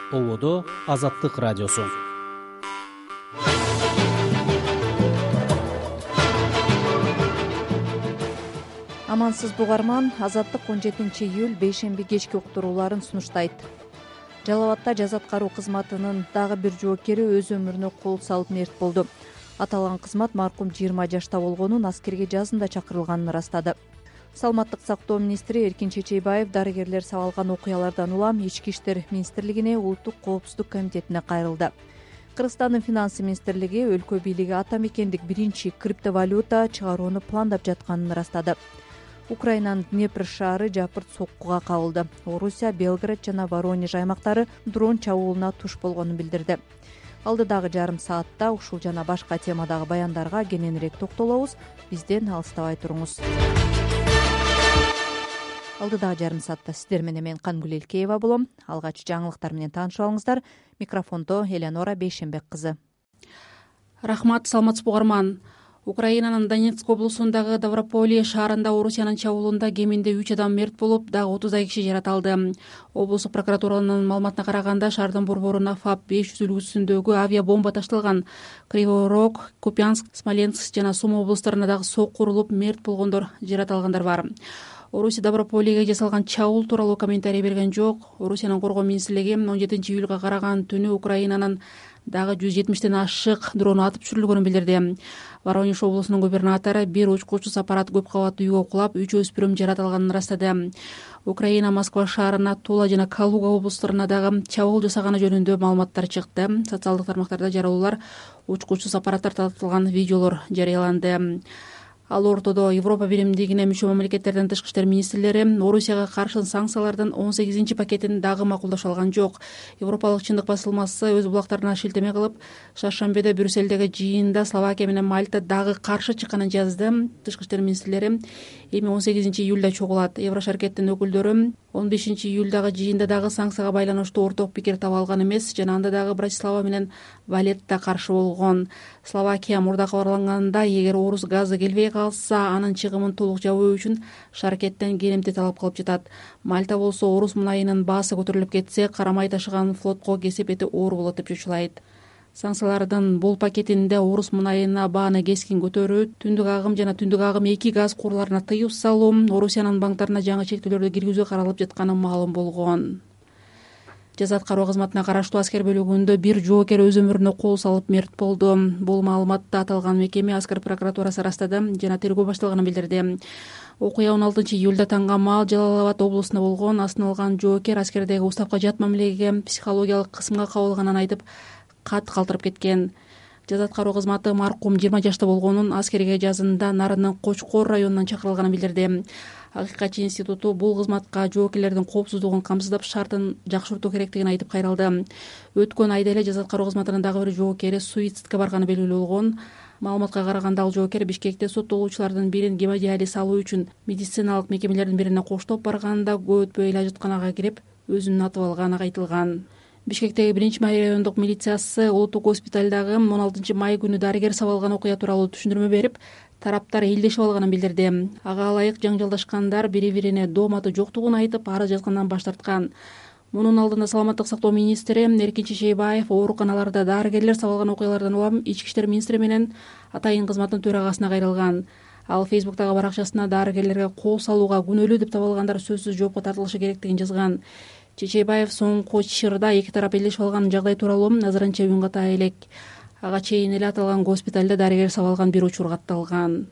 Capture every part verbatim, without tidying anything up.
Ободо Азаттык радиосу. Амансызбы угарман, Азаттык он жетинчи июль бейшемби кечки уктурууларын сунуштайт. Жалал Абадта жаза аткаруу кызматынын дагы бир жоокери өз өмүрүнө кол салып мерт болду. Аталган кызмат маркум жыйырма жашта болгонун, аскерге жазында чакырылганын ырастады. Саламаттык сактоо министри Эркин Чечейбаев дарыгерлер сабалган окуялардан улам Ички иштер министрлигине, Улуттук коопсуздук комитетине кайрылды. Кыргызстандын финансы министрлиги өлкө бийлиги ата мекендик биринчи криптовалюта чыгарууну пландап жатканын ырастады. Украинанын Днепр шаары жапырт соккуга кабылды. Орусия Белград жана Воронеж аймактары дрон чабуулуна туш болгонун билдирди. Алдыдагы жарым саатта ушул жана башка темадагы баяндарга кененирээк токтолобуз. Бизден алыстабай туруңуз. Алдыдагы жарым саатта сиздер менен мен Кангүл Элкеева болом. Алгач жаңылыктар менен таанышып алыңыздар. Микрофондо Элеонора Бейшембек кызы. Рахмат, саламатсызбы угарман. Украинанын Донецк облусундагы Даврополе шаарында Орусиянын чабуулунда кеминде үч адам мерт болуп, дагы отуздай киши жаратылды. Облустук прокуратуранын маалыматына караганда, шаардын борборуна ФАП беш жүз үлгүсүндөгү авиабомба ташталган. Кривой Рог, Купянск, Смоленск жана Сума облустарына дагы сокку урулуп, мерт болгондор, жаратылгандар бар. Орусия Даврополеге жасалган чабуул тууралуу комментарий берген жок. Орусиянын коргоо министрлиги он жетинчи июлга караган түнү Украинанын дагы жүз жетимиштен ашык дрону атып түшүрүлгөнүн билдирди. Воронеж облусунун губернатору бир учкучсуз аппарат көп кабаттуу үйгө кулап, үч өспүрүм жаратылганын ырастады. Украина Москва шаарына, Тула жана Калуга облустарына дагы чабуул жасаганы жөнүндө маалыматтар чыкты. Социалдык тармактарда жарыялуулар, учкучсуз аппараттар тартылган видеолор жарыяланды. Ал ортодо Европа биримдигине мүчө мамлекеттердин тышкы иштер министрлери Орусияга каршы санкциялардын он сегизинчи пакетин дагы макулдаша алган жок. Европалык чындык басылмасы өз булактарына шилтеме кылып, шаршембиде Брюссельдеги жыйында Словакия менен Мальта дагы каршы чыкканын жазды. Тышкы иштер министрлери эми он сегизинчи июлда чогулат. Еврошаркеттин өкүлдөрү он бешинчи июлдагы жыйында дагы санкцияга байланыштуу орток пикир таба алган эмес жана анда дагы Братислава менен Валетта каршы болгон. Словакия мурда кабарланганда, эгер орус газы келбей калса, анын чыгымын толук жабуу үчүн шаркеттен керемти талап кылып жатат. Мальта болсо орус мунайынын баасы көтөрүлүп кетсе, карамай ташыган флотко кесепети оор болот деп чочулайт. Санкциялардын бул пакетинде орус мунайына бааны кескин көтөрүү, түндүк агым жана түндүк агым эки газ курларына тыюу салуу, Орусиянын банктарына жаңы чектөөлөрдү киргизүү каралып жатканы маалым болгон. Жаза аткаруу кызматына караштуу аскер бөлүгүндө бир жоокер өз өмүрүнө кол салып мерт болду. Бул маалыматты аталган мекеме аскер прокуратурасы ырастады жана тергөө башталганын билдирди. Окуя он алтынчы июлда таңга маал Жалал Абад облусунда болгон. Астыналган жоокер аскердеги уставка жат мамилеге, психологиялык кысымга кабылганын айтып, кат калтырып кеткен. Жаза аткаруу кызматы маркум жыйырма жашта болгонун, аскерге жазында Нарынын Кочкор районунан чакырылганын билдирди. Акыйкатчы институту бул кызматка жоокерлердин коопсуздугун камсыздап, шартын жакшыртуу керектигин айтып кайрылды. Өткөн айда эле жаза аткаруу кызматынын дагы бир жоокери суицидке барганы белгилүү болгон. Маалыматка караганда, ал жоокер Бишкекте соттолуучулардын бирин гемодиализ алуу үчүн медициналык мекемелердин бирине коштоп барганда, көп өтпөй эле ажытканага кирип, өзүн атып алганы айтылган. Бишкектеги биринчи май райондук милициясы Улуттук госпиталдагы он алтынчы май күнү дарыгер сабалган окуя тууралуу түшүндүрмө берип, тараптар элдешип алганын билдирди. Ага ылайык жаңжалдашкандар бири-бирине доом аты жоктугун айтып, арыз жазгандан баш тарткан. Мунун алдында саламаттык сактоо министри Эркин Чечейбаев ооруканаларда дарыгерлер сабалган окуялардан улам Ички иштер министри менен атайын кызматтын төрагасына кайрылган. Ал Фейсбуктагы баракчасына дарыгерлерге кол салууга күнөөлүү деп табылгандар сөзсүз жоопко тартылышы керектигин жазган. Чечейбаев соңку чырда эки тарап элдешип алган жагдай тууралуу азырынча үн ката элек. Ага чейин эле аталган госпиталда дарыгер сабалган бир учур катталган.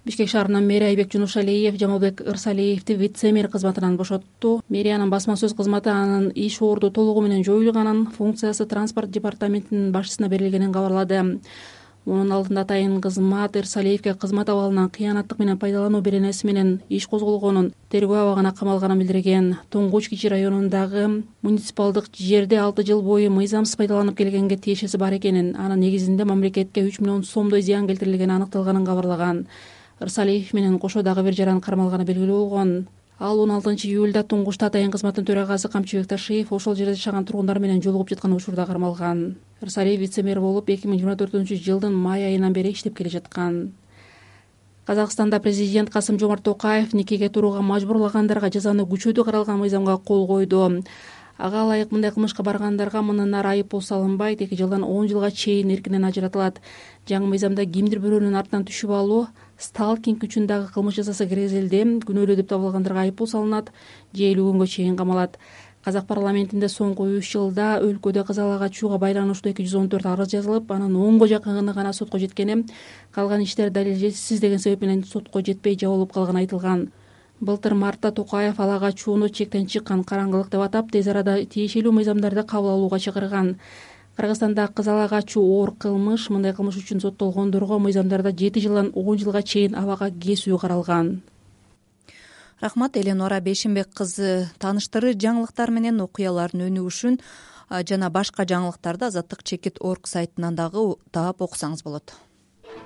Бишкек шаарынын мэри Айбек Жунушалиев Жамалбек Ырсалиевди вице-мэр кызматынан бошотту. Мэриянын басма сөз кызматы анын иш орду толугу менен жоюлганын, функциясы транспорт департаментинин башчысына берилгенин кабарлады. Мунун алдында атайын кызмат Ырсалиевге кызмат абалынан кыянаттык менен пайдалануу беренеси менен иш козголгонун, тергөө абагына камалганын билдирген. Тоңгуч Кичи районундагы муниципалдык жерде алты жыл бою мыйзамсыз пайдаланып келгенге тиешеси бар экенин, анын негизинде мамлекетке үч миллион сомдой зыян келтирилгени аныкталганын кабарлаган. Ырсалиев менен кошо дагы бир жаран кармалганы белгилүү болгон. Ал он алтынчы июлда Туңгушта атайын кызматтын төрагасы Камчыбек Ташиев ошол жерде жашаган тургундар менен жолугуп жаткан учурда кармалган. Ырсалиев вице-мэр болуп эки миң жыйырма төртүнчү жылдын май айынан бери иштеп келе жаткан. Казакстанда президент Касым-Жомарт Токаев никеге турууга мажбурлагандарга жазаны күчөтүү каралган мыйзамга кол койду. ага ылайык мындай кылмышка баргандарга мындан ары айып пул салынбайт, эки жылдан он жылга чейин эркинен ажыратылат. Жаңы мыйзамда кимдир бирөөнүн артынан түшүп алуу, сталкинг үчүн дагы кылмыш жасаса киргизилди, күнөөлүү деп табылгандарга айып пул салынат же элүү күнгө чейин камалат. Казак парламентинде соңку үч жылда өлкөдө кыз ала качууга байланыштуу эки жүз он төрт арыз жазылып, анын онго жакыны гана сотко жеткени, калган иштер далилсиз деген себеп менен сотко жетпей жабылып калганы айтылган. Былтыр мартта Токаев ала качууну чектен чыккан караңгылык деп атап, тез арада тиешелүү мыйзамдарды кабыл алууга чакырган. Кыргызстанда кыз ала качуу оор кылмыш, мындай кылмыш үчүн соттолгондорго мыйзамдарда жети жылдан он жылга чейин абага кесүү каралган. Рахмат, Эленора Бейшенбек кызы тааныштыры жаңылыктар менен окуялардын өнүгүшүн жана башка жаңылыктарды Азаттык чекит точка орг сайтынан дагы таап окусаңыз болот.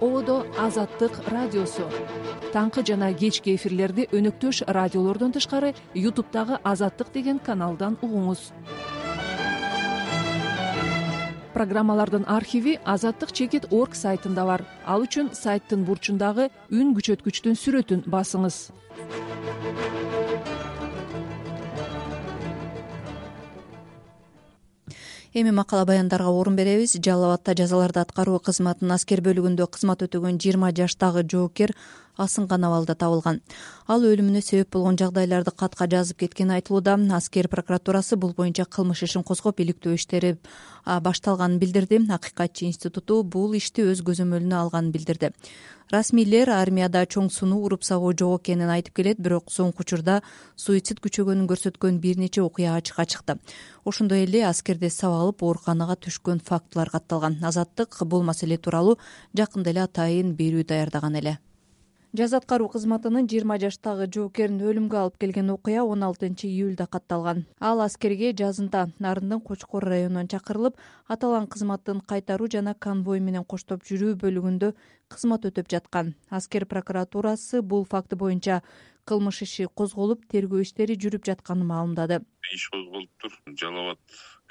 Ободо Азаттык радиосу. Таңкы жана кечки эфирлерди өнөктөш радиолордон тышкары ютубтагы Азаттык деген каналдан угуңуз. Программалардын архиви Азаттык чекит точка орг сайтында бар. Ал үчүн сайттын бурчундагы үн күчөткүчтүн сүрөтүн басыңыз. Эми макала баяндарга орун беребиз. Жалал Абадта жазаларды аткаруу кызматынын аскер бөлүгүндө кызмат өтөгөн жыйырма жаштагы жоокер асынган абалда табылган. Ал өлүмүнө себеп болгон жагдайларды катка жазып кеткени айтылууда. Аскер прокуратурасы бул боюнча кылмыш ишин козгоп, иликтөө иштери башталганын билдирди. Акыйкатчы институту бул ишти өз көзөмөлүнө алганын билдирди. Расмийлер армияда чоң сунуу уруп сабоо жок экенин айтып келет, бирок соңку учурда суицид күчөгөнүн көрсөткөн бир нече окуя ачыкка чыкты. Ошондой эле аскерде сабак алып ооруканага түшкөн фактылар катталган. Азаттык бул маселе тууралуу жакында эле атайын берүү даярдаган эле. Жаза аткаруу кызматынын жыйырма жаштагы жоокерин өлүмгө алып келген окуя он алтынчы июлда катталган. Ал аскерге жазында Нарындын Кочкор районунан чакырылып, аталган кызматтын кайтаруу жана конвой менен коштоп жүрүү бөлүгүндө кызмат өтөп жаткан. Аскер прокуратурасы бул факты боюнча кылмыш иши козголуп, тергөө иштери жүрүп жатканын маалымдады. Иш козголуптур. Жалал Абад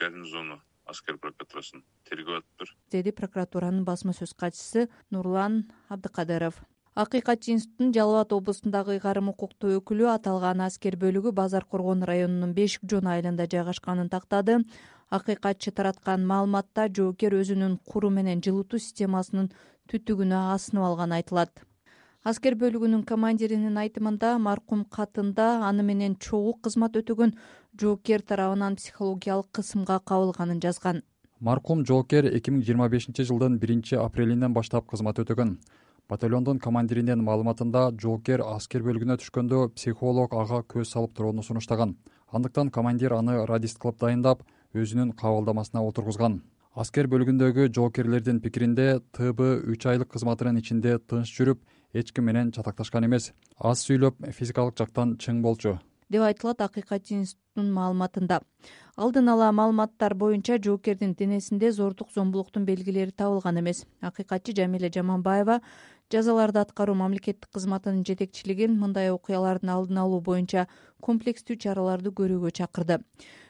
гарнизону аскер прокуратурасын тергөө атыптыр, деди прокуратуранын басма сөз катчысы Нурлан Абдыкадыров. Акыйкатчы институтунун Жалал Абад облусундагы ыйгарым укуктуу өкүлү аталган аскер бөлүгү Базар Коргон районунун Бешик Жон айылында жайгашканын тактады. Акыйкатчы тараткан маалыматта жоокер өзүнүн куру менен жылытуу системасынын түтүгүнө асынып алганы айтылат. Аскер бөлүгүнүн командиринин айтымында, маркум катында аны менен чогуу кызмат өтөгөн жоокер тарабынан психологиялык кысымга кабылганын жазган. Маркум жоокер эки миң жыйырма бешинчи жылдын биринчи апрелинен баштап кызмат өтөгөн. Батальондун командиринин маалыматында, жоокер аскер бөлүгүнө түшкөндө психолог ага көз салып турууну сунуштаган. Андыктан командир аны радист кылып дайындап, өзүнүн кабылдамасына отургузган. Аскер бөлүгүндөгү жоокерлердин пикиринде, Т Б үч айлык кызматынын ичинде тынч жүрүп, эч ким менен чатакташкан эмес. Аз сүйлөп, физикалык жактан чың болчу, деп айтылат Акыйкатчы институтунун маалыматында. Алдын ала маалыматтар боюнча жоокердин денесинде зордук зомбулуктун белгилери табылган эмес. Акыйкатчы Жамиля Жаманбаева жазаларды аткаруу мамлекеттик кызматынын жетекчилигин мындай окуялардын алдын алуу боюнча комплекстүү чараларды көрүүгө чакырды.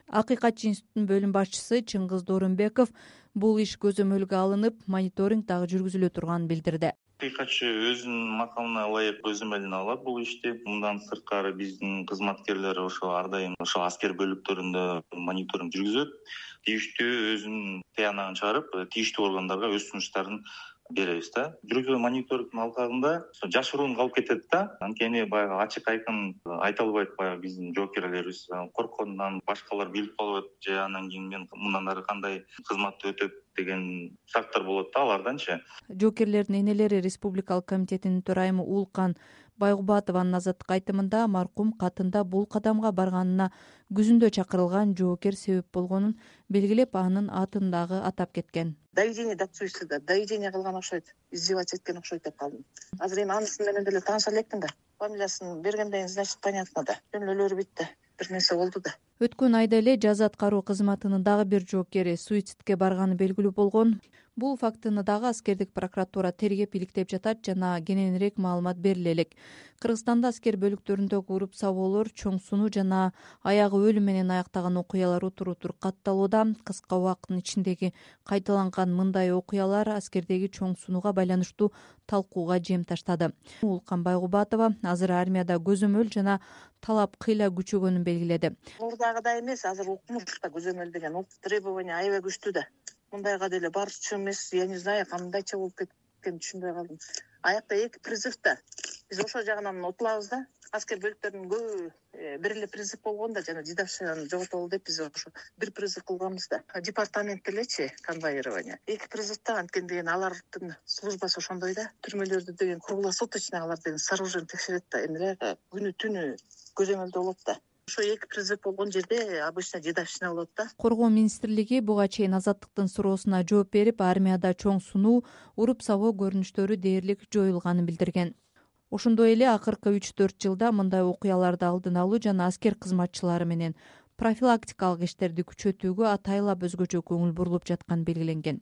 Акыйкатчы институтунун бөлүм башчысы Чыңгыз Доорунбеков бул иш көзөмөлгө алынып, мониторинг дагы жүргүзүлө турганын билдирди. Акыйкатчы өзүнүн макалына ылайык көзөмөлүнө алат бул ишти. Мындан сырткары биздин кызматкерлер ошо ар дайым ошо аскер бөлүктөрүндө мониторинг жүргүзөт. Тийиштүү өзүнүн тыянагын чыгарып, тийиштүү органдарга өз сунуштарын беребиз да. Жүргүзгөн мониторингдин алкагында жашыруун калып кетет да. Анткени баягы ачык айкын айта албайт баягы биздин жоокерлерибиз корккондон, башкалар билип калып атат же анан кийин мен мындан ары кандай кызмат өтөп деген сактар болот да аларданчы. Жоокерлердин энелери Республикалык комитетинин төрайымы Уулкан Байгубатованын Азаттык айтымында, маркум катында бул кадамга барганына күзүндө чакырылган жоокер себеп болгонун белгилеп, анын атын дагы атап кеткен. Доведение до суицида, доведение кылган окшойт, издеваться эткен окшойт деп калдым. Азыр эми анысы менен деле тааныша электим да. Фамилиясын бергенден кийин, значит, понятно да. Жөнөлөрү битти. Бир нерсе болду да. Өткөн айда эле жаза аткаруу кызматынын дагы бир жоокери суицидке барганы белгилүү болгон. Бул фактыны дагы аскердик прокуратура тергеп иликтеп жатат жана кененирээк маалымат бериле элек. Кыргызстанда аскер бөлүктөрүндөгү уруп сабоолор, чоң сунуу жана аягы өлүм менен аяктаган окуялар утур-утур катталууда. Кыска убакыттын ичиндеги кайталанган мындай окуялар аскердеги чоң сунууга байланыштуу талкууга жем таштады. Улкан Байгубатова азыр армияда көзөмөл жана талап кыйла күчөгөнүн белгиледи. Мурдагыдай эмес, азыр укмушта көзөмөл деген укук требования аябай күчтүү да. Мындайга деле барчу эмес, я не знаю, кандайча болуп кеткенин түшүнбөй калдым. Аякта эки призыв да. Биз ошол жагынан утулабыз да. Аскер бөлүктөрүнүн көбү бир эле призыв болгон да, жана дедовщинаны жоготобол деп биз ошо бир призыв кылганбыз да. Департамент делечи конвоирование. Эки призыв да, анткени деген алардын службасы ошондой да. Түрмөлөрдү деген круглосуточно алар деген с оружием текшерет да. Эмне күнү түнү көзөмөлдө болот да. Ошо эки призыв болгон жерде обычно дедовщина болот да. Коргоо министрлиги буга чейин Азаттыктын суроосуна жооп берип, армияда чоң сунуу, уруп сабоо көрүнүштөрү дээрлик жоюлганын билдирген. Ошондой эле акыркы үч төрт жылда мындай окуяларды алдын алуу жана аскер кызматчылары менен профилактикалык иштерди күчөтүүгө атайлап өзгөчө көңүл бурулуп жатканы белгиленген.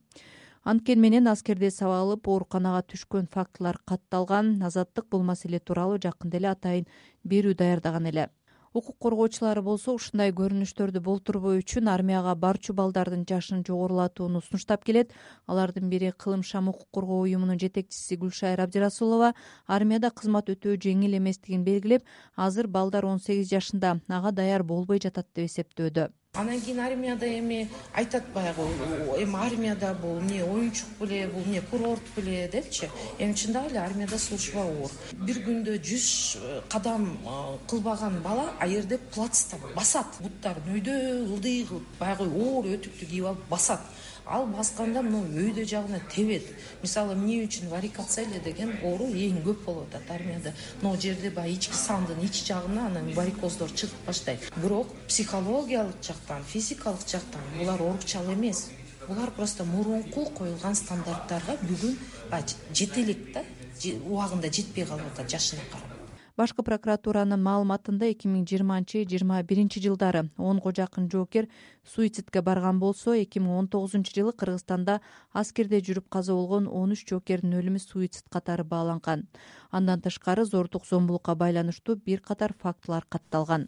Анткени менен аскерде сабалып ооруканага түшкөн фактылар катталган. Азаттык бул маселе тууралуу жакында эле атайын берүү даярдаган эле. Укук коргоочулары болсо ушундай көрүнүштөрдү болтурбоо үчүн армияга барчу балдардын жашын жогорулатууну сунуштап келет. Алардын бири Кылымшам укук коргоо уюмунун жетекчиси Гүлшайыр Абдирасулова армияда кызмат өтөө жеңил эместигин белгилеп, азыр балдар он сегиз жашында, ага даяр болбой жатат деп эсептөөдө. Анан кийин армияда эми айтат баягы эми армияда бул эмне оюнчук беле, бул эмне курорт беле депчи. Эми чындап эле армияда служба оор. Бир күндө жүз кадам кылбаган бала а жерде плацта басат. Буттарын өйдө ылдый кылып, баягы оор өтүктү кийип алып басат. Ал басканда мына өйдө жагына тебет. Мисалы эмне үчүн варикация деген оору эң көп болуп атат армияда. Могу жерде баягы ички сандын ички жагына анан варикоздор чыгып баштайт. Бирок психологиялык жактан, физикалык жактан булар оорукчал эмес. Булар просто мурунку коюлган стандарттарга бүгүн жете элек да, убагында жетпей калып атат жашына карап. Башкы прокуратуранын маалыматында эки миң жыйырманчы жыйырма биринчи жылдары онго жакын жоокер суицидке барган болсо, эки миң он тогузунчу жылы Кыргызстанда аскерде жүрүп каза болгон он үч жоокердин өлүмү суицид катары бааланган. Андан тышкары зордук зомбулукка байланыштуу бир катар фактылар катталган.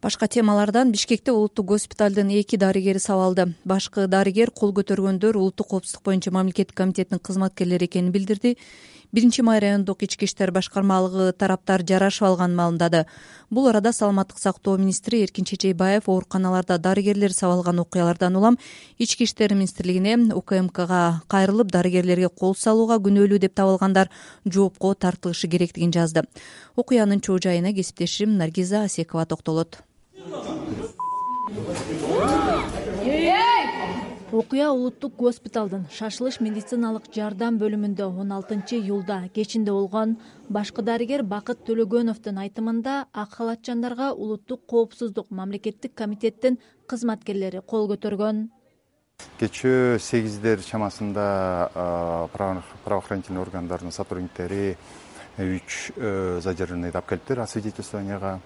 Башка темалардан Бишкекте улуттук госпиталдын эки дарыгери сабалды. Башкы дарыгер кол көтөргөндөр улуттук коопсуздук боюнча мамлекеттик комитетинин кызматкерлери экенин билдирди. Биринчи май райондук ички иштер башкармалыгы тараптар жарашып алганын маалымдады. Бул арада саламаттык сактоо министри Эркин Чечейбаев ооруканаларда дарыгерлер сабалган окуялардан улам ички иштер министрлигине У К М Кга кайрылып дарыгерлерге кол салууга күнөөлүү деп табылгандар жоопко тартылышы керектигин жазды. Окуянын чоо жайына кесиптешим Наргиза Асекова токтолот. Окуя улуттук госпиталдын шашылыш медициналык жардам бөлүмүндө он алтынчы июлда кечинде болгон. Башкы дарыгер Бакыт Төлөгөновдун айтымында ак халатчандарга улуттук коопсуздук мамлекеттик комитеттин кызматкерлери кол көтөргөн. Кечээ сегиздер чамасында правоохранительный органдардын сотрудниктери үч задержанныйды алып келиптир освидетельствованияга.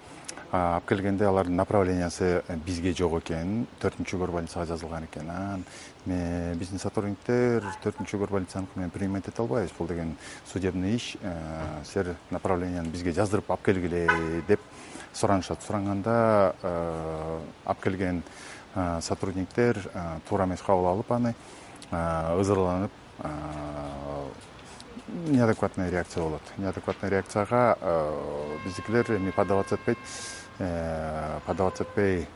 Алып келгенде алардын направлениясы бизге жок экен, төртүнчү горбольницага жазылган экен. Биздин сотрудниктер төртүнчү горбольницаныкы менен принимать эте албайбыз, бул деген судебный иш, силер направленияны бизге жаздырып алып келгиле деп суранышат. Суранганда алып келген сотрудниктер туура эмес кабыл алып аны ызырланып, неадекватная реакция болот. Неадекватная реакцияга биздикилер эми подаваться этпейт, подаваться этпей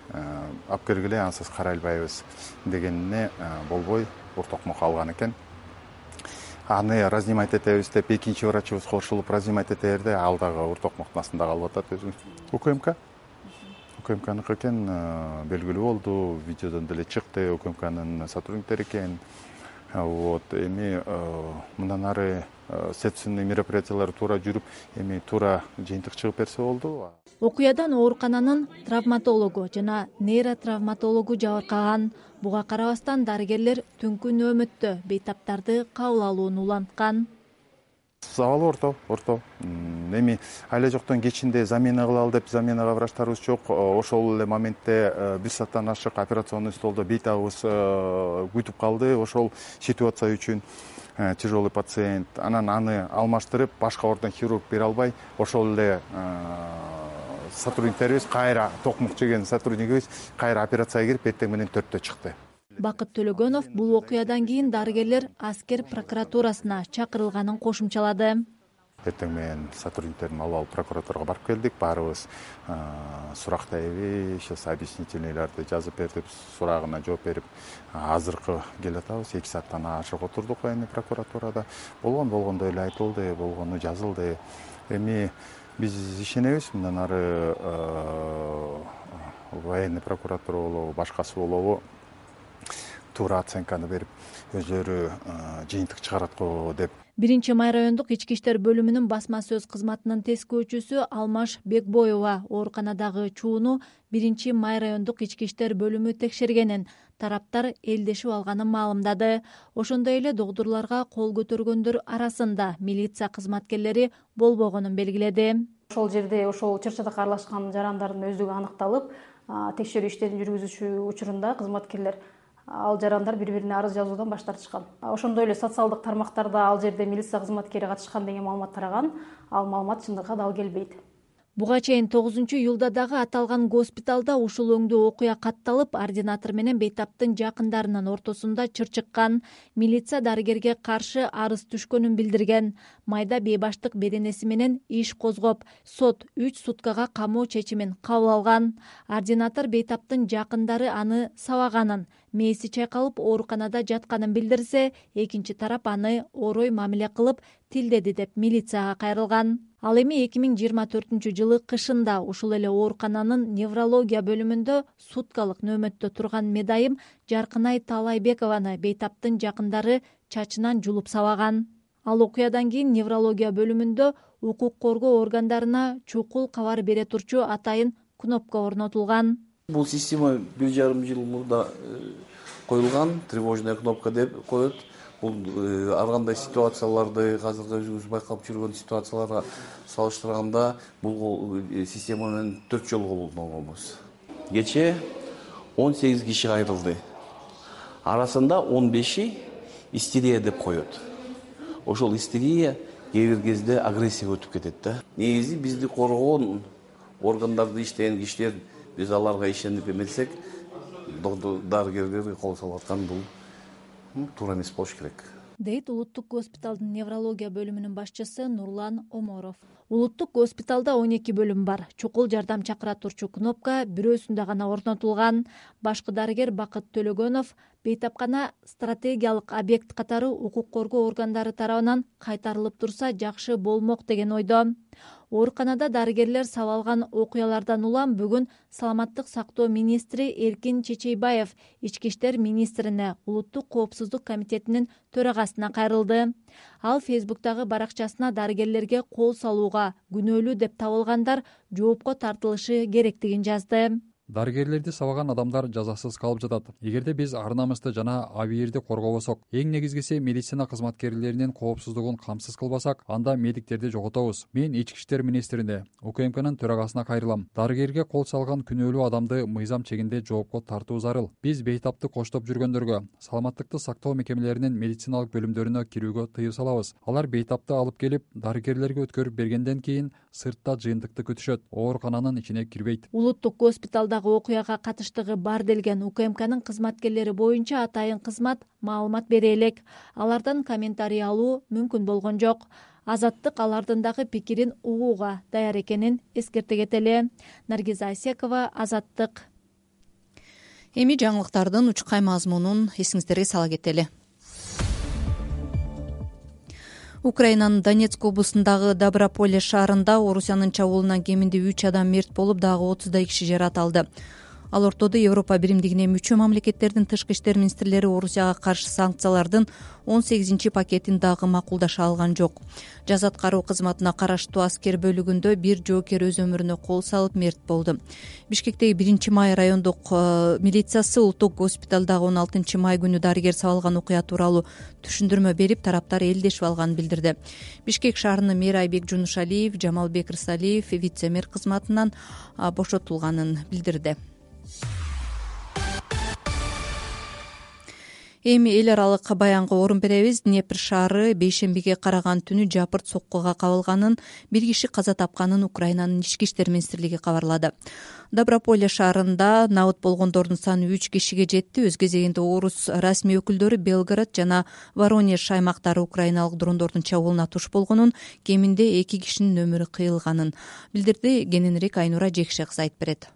алып келгиле, ансыз карай албайбыз дегенине болбой уртокмок алган экен. Аны разнимать этебиз деп экинчи врачыбыз кошулуп разнимать этерде, ал дагы уртокмоктун астында калып атат өзү. У К М К У К М Кныкы экен, белгилүү болду, видеодон деле чыкты, У К М Кнын сотрудниктери экен. Вот, эми мындан ары следственный мероприятиялар туура жүрүп, эми туура жыйынтык чыгып берсе болду. Окуядан оорукананын травматологу жана нейротравматологу жабыркаган. Буга карабастан дарыгерлер түнкү нөөмөттө бейтаптарды кабыл алууну уланткан. абалы орто орто эми айла жоктон кечинде замена кылалы деп заменага врачтарыбыз жок. Ошол эле моментте бир сааттан ашык операционный столдо бейтабыбыз күтүп калды. Ошол ситуация үчүн тяжелый пациент, анан аны алмаштырып башка ордон хирург бере албай, ошол эле сотрудниктерибиз кайра токмук жеген сотруднигибиз кайра операцияга кирип эртең менен төрттө чыкты. Бакыт Төлөгөнов бул окуядан кийин дарыгерлер аскер прокуратурасына чакырылганын кошумчалады. Эртең менен сотрудниктерин алып алып прокуратурага барып келдик. Баарыбыз сурактайбы, сейчас объяснительныйларды жазып берип, сурагына жооп берип, азыркы келатабыз. эки сааттан ашык отурдук эми прокуратурада. Болгон болгондой эле айтылды, болгону жазылды. Эми биз ишенебиз, мындан ары военный прокуратура болобу, башкасы болобу туура оценканы берип, өздөрү жыйынтык чыгарат го деп. Биринчи май райондук ички иштер бөлүмүнүн басма сөз кызматынын тескөөчүсү Алмаш Бекбоева ооруканадагы чууну биринчи май райондук ички иштер бөлүмү текшергенин, тараптар элдешип алганын маалымдады. Ошондой эле догдурларга кол көтөргөндөр арасында милиция кызматкерлери болбогонун белгиледи. Ошол жерде ошол чыр-чатакка аралашкан жарандардын өздүгү аныкталып, текшерүү иштерин жүргүзүүчү учурунда кызматкерлер ал жарандар бири-бирине арыз жазуудан баш тартышкан. Ошондой эле социалдык тармактарда ал жерде милиция кызматкери катышкан деген маалымат тараган. Ал маалымат чындыкка дал келбейт. Буга чейин тогузунчу июлда дагы аталган госпиталда ушул өңдүү окуя катталып, ординатор менен бейтаптын жакындарынын ортосунда чыр чыккан. Милиция дарыгерге каршы арыз түшкөнүн билдирген. Майда бейбаштык беренеси менен иш козгоп, сот үч суткага камоо чечимин кабыл алган. Ординатор бейтаптын жакындары аны сабаганын, мээси чайкалып ооруканада жатканын билдирсе, экинчи тарап аны орой мамиле кылып тилдеди деп милицияга кайрылган. Ал эми эки миң жыйырма төртүнчү жылы кышында ушул эле оорукананын неврология бөлүмүндө суткалык нөөмөттө турган медайым Жаркынай Таалайбекованы бейтаптын жакындары чачынан жулуп сабаган. Ал окуядан кийин неврология бөлүмүндө укук коргоо органдарына чукул кабар бере турчу атайын кнопка орнотулган. Бул система бир жарым жыл мурда коюлган, тревожная кнопка деп коет. Бул ар кандай ситуацияларды, азыркы өзүбүз байкап жүргөн ситуацияларга салыштырганда бул система менен төрт жолу колдонгонбуз. Кечээ он сегиз киши кайрылды. Арасында он беши истерия деп коет. Ошол истерия кээ бир кезде агрессияга өтүп кетет да. Негизи бизди коргоон органдарда иштеген кишилер, биз аларга ишенип эметсек, дарыгерлерге кол салып аткан бул туура эмес болуш керек, дейт улуттук госпиталдын неврология бөлүмүнүн башчысы Нурлан Оморов. Улуттук госпиталда он эки бөлүм бар. Чукул жардам чакыра турчу кнопка бирөөсүндө гана орнотулган. Башкы дарыгер Бакыт Төлөгөнов бейтапкана стратегиялык объект катары укук коргоо органдары тарабынан кайтарылып турса жакшы болмок деген ойдо. Ооруканада дарыгерлер сабалган окуялардан улам бүгүн Саламаттык сактоо министри Эркин Чечейбаев ички иштер министрине улуттук коопсуздук комитетинин төрагасына кайрылды. Ал Фейсбуктагы баракчасына дарыгерлерге кол салууга күнөөлүү деп табылгандар жоопко тартылышы керектигин жазды. Дарыгерлерди сабаган адамдар жазасыз калып жатат. Эгерде биз ар намысты жана абийирди коргобосок, эң негизгиси медицина кызматкерлеринин коопсуздугун камсыз кылбасак, анда медиктерди жоготобуз. Мен ички иштер министрине, УКМКнын төрагасына кайрылам. Дарыгерге кол салган күнөөлүү адамды мыйзам чегинде жоопко тартуу зарыл. Биз бейтапты коштоп жүргөндөргө, саламаттыкты сактоо мекемелеринин медициналык бөлүмдөрүнө кирүүгө тыюу салабыз. Алар бейтапты алып келип, дарыгерлерге өткөрүп бергенден кийин сыртта жыйынтыкты күтүшөт, оорукананын ичине кирбейт. Улуттук госпиталда окуяга катыштыгы бар делген УКМКнын кызматкерлери боюнча атайын кызмат маалымат бере элек. Алардан комментарий алуу мүмкүн болгон жок. Азаттык алардын дагы пикирин угууга даяр экенин эскерте кетели. Наргиза Асекова, Азаттык. Эми жаңылыктардын учкай мазмунун эсиңиздерге сала кетели. Украинанын Донецк облусундагы Доброполе шаарында Орусиянын чабуулунан кеминде үч адам мерт болуп, дагы отуздай киши жарат алды. Ал ортодо Европа биримдигине мүчө мамлекеттердин тышкы иштер министрлери Орусияга каршы санкциялардын он сегизинчи пакетин дагы макулдаша алган жок. Жаза аткаруу кызматына караштуу аскер бөлүгүндө бир жоокер өз өмүрүнө кол салып мерт болду. Бишкектеги биринчи май райондук милициясы улуттук госпиталдагы он алтынчы май күнү дарыгер сабалган окуя тууралуу түшүндүрмө берип, тараптар элдешип алганын билдирди. Бишкек шаарынын мэри Айбек Жунушалиев Жамалбек Рысалиев вице-мэр кызматынан бошотулганын билдирди. Эми эл аралык баянга орун беребиз. Днепр шаары бейшембиге караган түнү жапырт соккуга кабылганын, бир киши каза тапканын Украинанын ички иштер министрлиги кабарлады. Доброполе шаарында набыт болгондордун саны үч кишиге жетти. Өз кезегинде орус расмий өкүлдөрү Белгород жана Воронеж аймактары украиналык дрондордун чабуулуна туш болгонун, кеминде эки кишинин өмүрү кыйылганын билдирди. Кененирээк Айнура Жекше кызы айтып берет.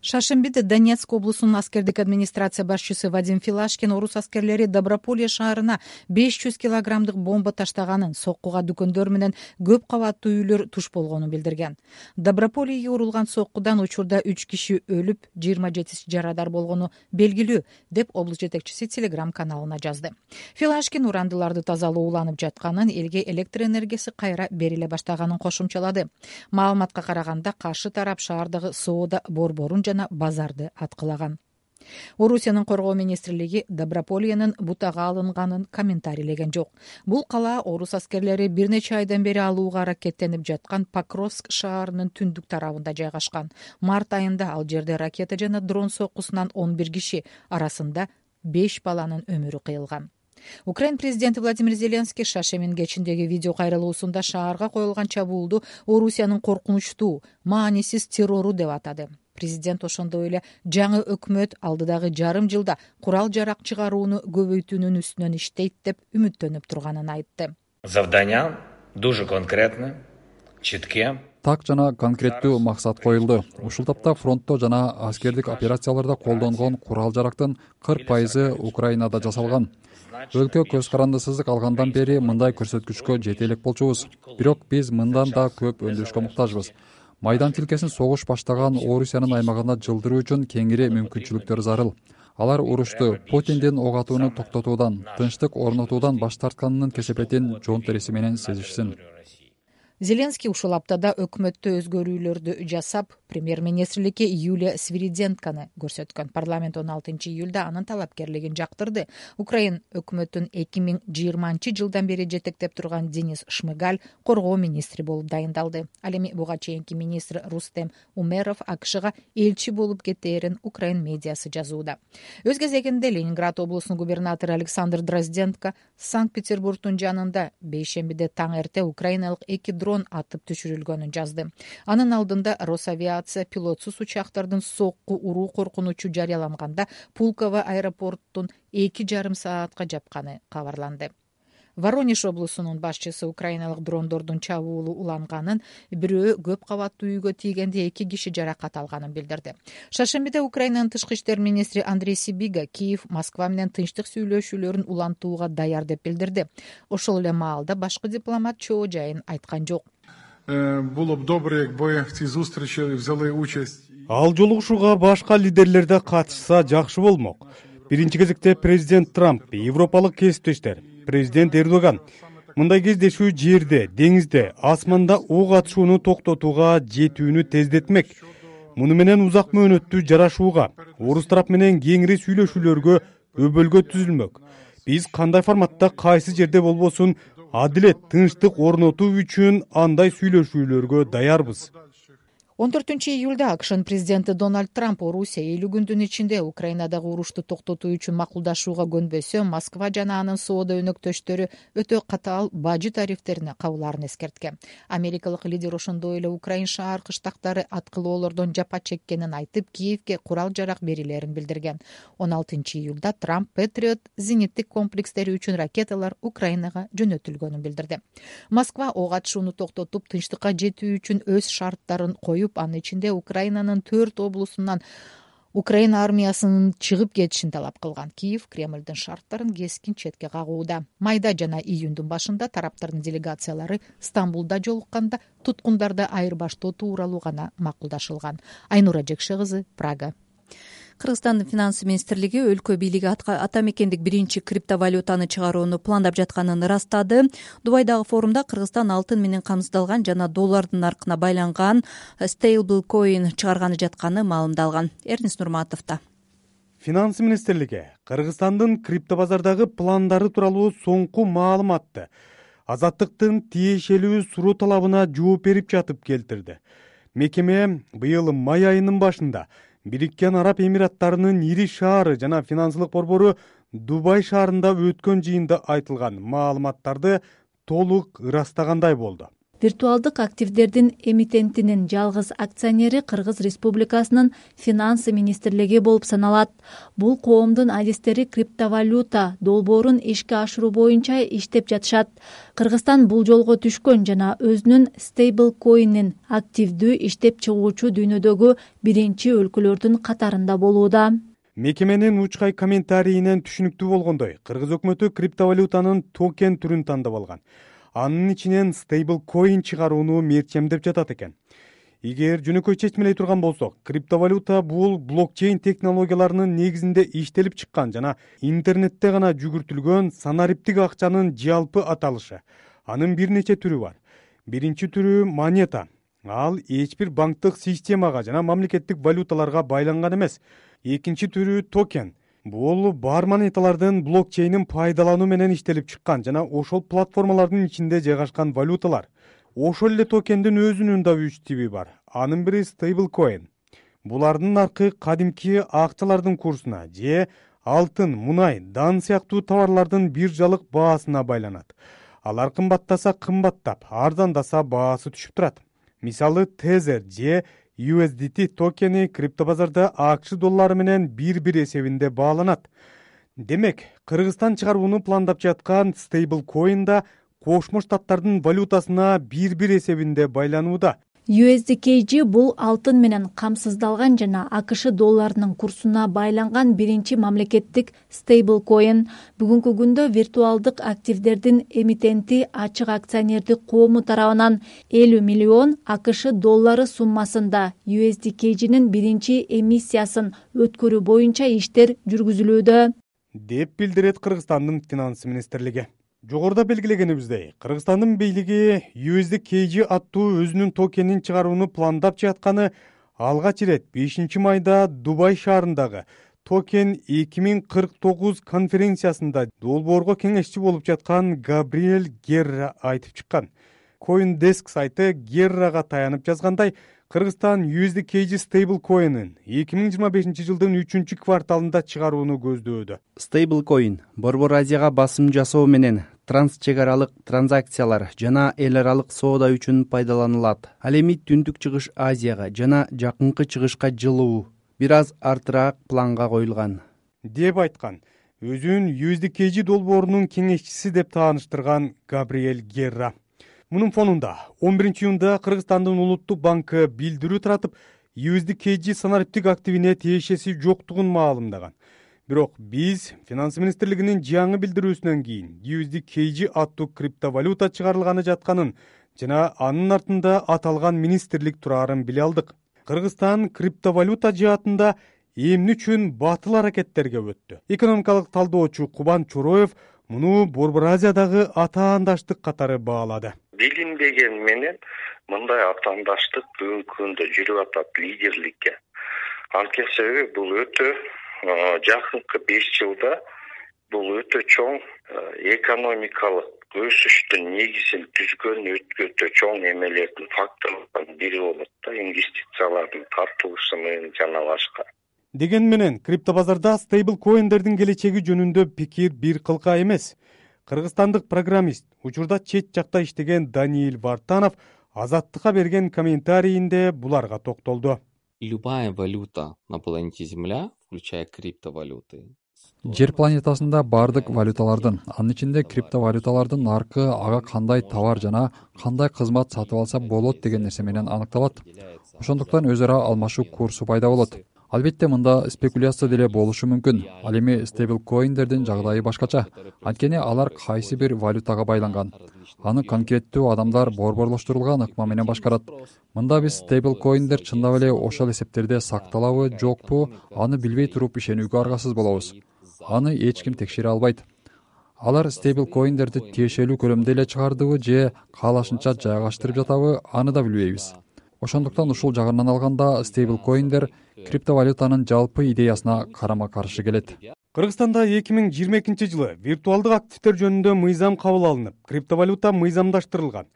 Шаршембиде Донецк облусунун аскердик администрация башчысы Вадим Филашкин орус аскерлери Доброполе шаарына беш жүз килограммдык бомба таштаганын, соккуга дүкөндөр менен көп кабаттуу үйлөр туш болгонун билдирген. Доброполеге урулган соккудан учурда үч киши өлүп, жыйырма жетиси жарадар болгону белгилүү, деп облус жетекчиси Телеграм каналына жазды. Филашкин урандыларды тазалоо уланып жатканын, элге электр энергиясы кайра бериле баштаганын кошумчалады. Маалыматка караганда каршы тарап шаардагы соода борборун жана базарды аткылаган. Орусиянын коргоо министрлиги Доброполенин бутага алынганын комментарийлеген жок. Бул кала орус аскерлери бир нече айдан бери алууга аракеттенип жаткан Покровск шаарынын түндүк тарабында жайгашкан. Март айында ал жерде ракета жана дрон соккусунан он бир киши, арасында беш баланын өмүрү кыйылган. Украин президенти Владимир Зеленский Шашемин кечиндеги видео кайрылуусунда шаарга коюлган чабуулду Орусиянын коркунучтуу, маанисиз террору деп атады. Президент ошондой эле жаңы өкмөт алдыдагы жарым жылда курал жарак чыгарууну көбөйтүүнүн үстүнөн иштейт деп үмүттөнүп турганын айтты. Завдання дуже конкретне, читке. Так жана конкреттүү максат коюлду. Ушул тапта фронтто жана аскердик операцияларда колдонгон курал жарактын кырк пайызы Украинада жасалган. Өлкө көз карандысыздык алгандан бери мындай көрсөткүчкө жете элек болчубуз. Бирок биз мындан да көп өндүрүшкө муктажбыз. Майдан тилкесин согуш баштаган Орусиянын аймагына жылдыруу үчүн кеңири мүмкүнчүлүктөр зарыл. Алар урушту Путиндин ок атууну токтотуудан, тынчтык орнотуудан баш тартканынын кесепетин жон териси менен сезишсин. Зеленский ушул аптада өкмөттө өзгөрүүлөрдү жасап, премьер-министрликке Юлия Свириденканы көрсөткөн. Парламент он алтынчы июлда анын талапкерлигин жактырды. Украин өкмөтүн эки миң жыйырманчы жылдан бери жетектеп турган Денис Шмыгаль коргоо министри болуп дайындалды. Ал эми буга чейинки министр Рустем Умеров АКШга элчи болуп кетээрин Украин медиасы жазууда. Өз кезегинде Ленинград облусунун губернатору Александр Дрозденко Санкт-Петербургдун жанында бейшембиде таң эрте украиналык эки дрон атып түшүрүлгөнүн жазды. Анын алдында Росавиация пилотсуз учактардын сокку уруу коркунучу жарыяланганда Пулково аэропортун эки жарым саатка жапканы кабарланды. Воронеж облусунун башчысы украиналык дрондордун чабуулу уланганын, бирөө көп кабаттуу үйгө тийгенде эки киши жаракат алганын билдирди. Шаршембиде Украинанын тышкы иштер министри Андрей Сибига Киев Москва менен тынчтык сүйлөшүүлөрүн улантууга даяр деп билдирди. Ошол эле маалда башкы дипломат чоо жайын айткан жок. Було б добре, якби в цій зустрічі взяли участь. Ал жолугушууга башка лидерлер да катышса жакшы болмок. Биринчи кезекте президент Трамп, европалык кесиптештер, президент Эрдоган. Мындай кездешүү жерде, деңизде, асманда ок атышууну токтотууга жетүүнү тездетмек. Муну менен узак мөөнөттүү жарашууга, орус тарап менен кеңири сүйлөшүүлөргө өбөлгө түзүлмөк. Биз кандай форматта, кайсы жерде болбосун, адилет, тынчтык орнотуу үчүн андай сүйлөшүүлөргө даярбыз. он төртүнчү июлда АКШнын президенти Дональд Трамп Орусия элүү күндүн ичинде Украинадагы урушту токтотуу үчүн макулдашууга көнбөсө, Москва жана анын соода өнөктөштөрү өтө катаал бажы тарифтерине кабылаарын эскерткен. Америкалык лидер ошондой эле Украин шаар кыштактары аткылоолордон жапа чеккенин айтып, Киевге курал жарак берилерин билдирген. он алтынчы июлда Трамп Патриот зениттик комплекстери үчүн ракеталар Украинага жөнөтүлгөнүн билдирди. Москва ок атышууну токтотуп, тынчтыкка жетүү үчүн өз шарттарын коюп, анын ичинде Украинанын төрт облусунан Украина армиясынын чыгып кетишин талап кылган. Киев Кремлдин шарттарын кескин четке кагууда. Майда жана июндун башында тараптардын делегациялары Стамбулда жолукканда туткундарды айырбаштоо тууралуу гана макулдашылган. Айнура Жекше кызы, Прага. Кыргызстандын финанс министрлиги өлкө бийлиги ата мекендик биринчи криптовалютаны чыгарууну пландап жатканын ырастады. Дубайдагы форумда Кыргызстан алтын менен камсыздалган жана доллардын наркына байланган стейблкоин чыгарганы жатканы маалымдалган. Эрнис Нурматовдо. Финанс министрлиги Кыргызстандын криптобазардагы пландары тууралуу соңку маалыматты Азаттыктын тиешелүү суроо талабына жооп берип жатып келтирди. Мекеме быйыл май айынын башында Бириккен Араб Эмираттарынын ири шаары жана финансылык борбору Дубай шаарында өткөн жыйында айтылган маалыматтарды толук ырастагандай болду. Виртуалдык активдердин эмитентинин жалгыз акционери Кыргыз Республикасынын финансы министрлиги болуп саналат. Бул коомдун адистери криптовалюта долбоорун ишке ашыруу боюнча иштеп жатышат. Кыргызстан бул жолго түшкөн жана өзүнүн стейблкоинин активдүү иштеп чыгуучу дүйнөдөгү биринчи өлкөлөрдүн катарында болууда. Мекеменин учкай комментарийинен түшүнүктүү болгондой, Кыргыз өкмөтү криптовалютанын токен түрүн тандап алган. Анын ичинен стейблкоин чыгарууну мерчемдеп жатат экен. Эгер жөнөкөй чечмелей турган болсок, криптовалюта бул блокчейн технологияларынын негизинде иштелип чыккан жана интернетте гана жүгүртүлгөн санариптик акчанын жалпы аталышы. Анын бир нече түрү бар. Биринчи түрү монета. Ал эч бир банктык системага жана мамлекеттик валюталарга байланган эмес. Экинчи түрү токен. Бул бар монеталардын блокчейнин пайдалануу менен иштелип чыккан жана ошол платформалардын ичинде жайгашкан валюталар. Ошол эле токендин өзүнүн да үч тиби бар. Анын бири стейблкоин. Булардын наркы кадимки акчалардын курсуна же алтын, мунай, дан сыяктуу товарлардын биржалык баасына байланат. Алар кымбаттаса кымбаттап, арзандаса баасы түшүп турат. Мисалы Tether же ю эс ди ти токени криптобазарда АКШ доллары менен бир-бир эсебинде бааланат. Демек, Кыргызстан чыгарууну пландап жаткан стейблкоин да Кошмо Штаттардын валютасына бир-бир эсебинде байланууда. ю эс ди кей джи бул алтын менен камсыздалган жана АКШ долларынын курсуна байланган биринчи мамлекеттик стейблкоин. Бүгүнкү күндө виртуалдык активдердин эмитенти ачык акционердик коому тарабынан элүү миллион АКШ доллары суммасында ю эс ди кей джинин биринчи эмиссиясын өткөрүү боюнча иштер жүргүзүлүүдө, деп билдирет Кыргызстандын финанс министрлиги. Жогоруда белгилегенибиздей, Кыргызстандын бийлиги ю эс ди кей джи аттуу өзүнүн токенин чыгарууну пландап жатканы алгач ирет бешинчи майда Дубай шаарындагы токен эки миң кырк тогуз конференциясында долбоорго кеңешчи болуп жаткан Габриэль Герра айтып чыккан. CoinDesk сайты Геррага таянып жазгандай, Кыргызстан ю эс ди кей джи стейблкоинин эки миң жыйырма бешинчи жылдын үчүнчү кварталында чыгарууну көздөөдө. Стейблкоин Борбор Азияга басым жасоо менен трансчек аралык транзакциялар жана эл аралык соода үчүн пайдаланылат. Ал эми Түндүк Чыгыш Азияга жана жакынкы чыгышка жылуу бир аз артыраак планга коюлган, деп айткан. Өзүн ю эс ди кей джи долбоорунун кеңешчиси деп тааныштырган Габриэль Герра. Мунун фонунда он биринчи июнда Кыргызстандын Улуттук банкы билдирүү таратып, ю эс ди кей джи санариптик активине тиешеси жоктугун маалымдаган. Бирок биз финанс министрлигинин жаңы билдирүүсүнөн кийин ю эс ди кей джи аттуу криптовалюта чыгарылганы жатканын жана анын артында аталган министрлик турарын биле алдык. Кыргызстан криптовалюта жаатында эмне үчүн батыл аракеттерге өттү? Экономикалык талдоочу Кубан Чороев муну Борбор Азиядагы атаандаштык катары баалады. Билинбеген менен мындай атаандаштык бүгүнкү күндө жүрүп атат лидерликке. Анткени себеби бул өтө жакынкы беш жылда бул өтө чоң экономикалык өсүштүн негизин түзгөн өтө чоң эмелердин факторлордун бири болот да, инвестициялардын тартылышы менен жана башка. Деген менен криптобазарда стейблкоиндердин келечеги жөнүндө пикир бир кылка эмес. Кыргызстандык программист, учурда чет жакта иштеген Даниил Вартанов Азаттыкка берген комментарийинде буларга токтолду. Любая валюта на планете Земля, включая криптовалюты. Жер планетасында бардык валюталардын, анын ичинде криптовалюталардын наркы ага кандай товар жана кандай кызмат сатып алса болот деген нерсе менен аныкталат. Ошондуктан өз ара алмашуу курсу пайда болот. Албетте мында спекуляция деле болушу мүмкүн. Ал эми стейблкоиндердин жагдайы башкача. Анткени алар кайсы бир валютага байланган. аны конкреттүү адамдар борборлоштурулган ыкма менен башкарат. Мында биз стейблкоиндер чындап эле ошол эсептерде сакталабы жокпу, аны билбей туруп ишенүүгө аргасыз болобуз. Аны эч ким текшере албайт. Алар стейблкоиндерди тиешелүү көлөмдө эле чыгардыбы же каалашынча жайгаштырып жатабы, аны да билбейбиз. Ошондуктан ушул жагынан алганда стейблкоиндер криптовалютанын жалпы идеясына карама каршы келет. Кыргызстанда эки миң жыйырма экинчи жылы виртуалдык активдер жөнүндө мыйзам кабыл алынып, криптовалюта мыйзамдаштырылган.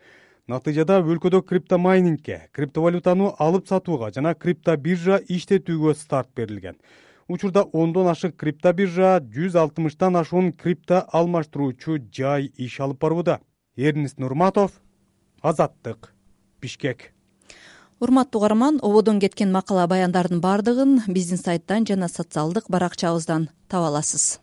Натыйжада өлкөдө криптомайнингке, криптовалютаны алып сатууга жана криптобиржа иштетүүгө старт берилген. Учурда ондон ашык криптобиржа, жүз алтымыштан ашуун крипто алмаштыруучу жай иш алып барууда. Эрнист Нурматов, Азаттык, Бишкек. Урматтуу угарман, ободон кеткен макала баяндардын бардыгын биздин сайттан жана социалдык баракчабыздан таба аласыз.